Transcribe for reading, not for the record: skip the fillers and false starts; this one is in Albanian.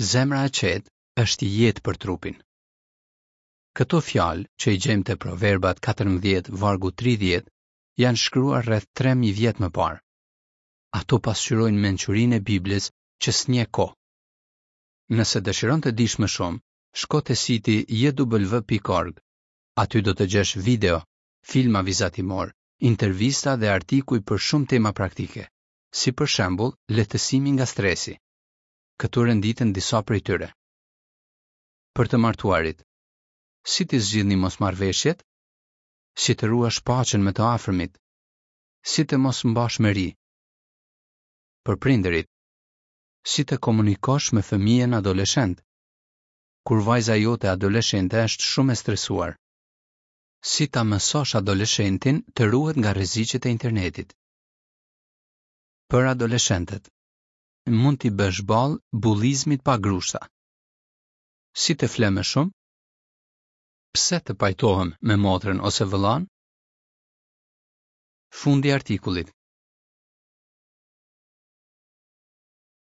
Zemra e qetë është jetë për trupin. Këto fjalë, që i gjejmë te Proverbat 14, vargu 30, janë shkruar rreth 3000 vjet më parë. Ato pasqyrojnë mençurinë e Biblës që s'njeh kohë. Nëse dëshiron të dish më shumë, shko te siti jw.org. Aty do të gjesh video, filma vizatimorë, intervista dhe artikuj për shumë tema praktike, si për shembull lehtësimi nga stresi. Këtu renditen disa prej tyre. Për të martuarit. Si t'i zgjidhni mosmarrëveshjet? Si të ruash paqen me të afërmit? Si të mos mbash mëri? Për prindërit. Si të komunikosh me fëmijën adoleshent? Kur vajza jote adoleshente është shumë e stresuar. Si ta mësosh adoleshentin të ruhet nga rreziqet e internetit? Për adoleshentët. Mund t'i bësh ballë bullizmit pa grushta. Si të fle më shumë? Pse të pajtohem me motrën ose vëllanë? Fundi i artikullit.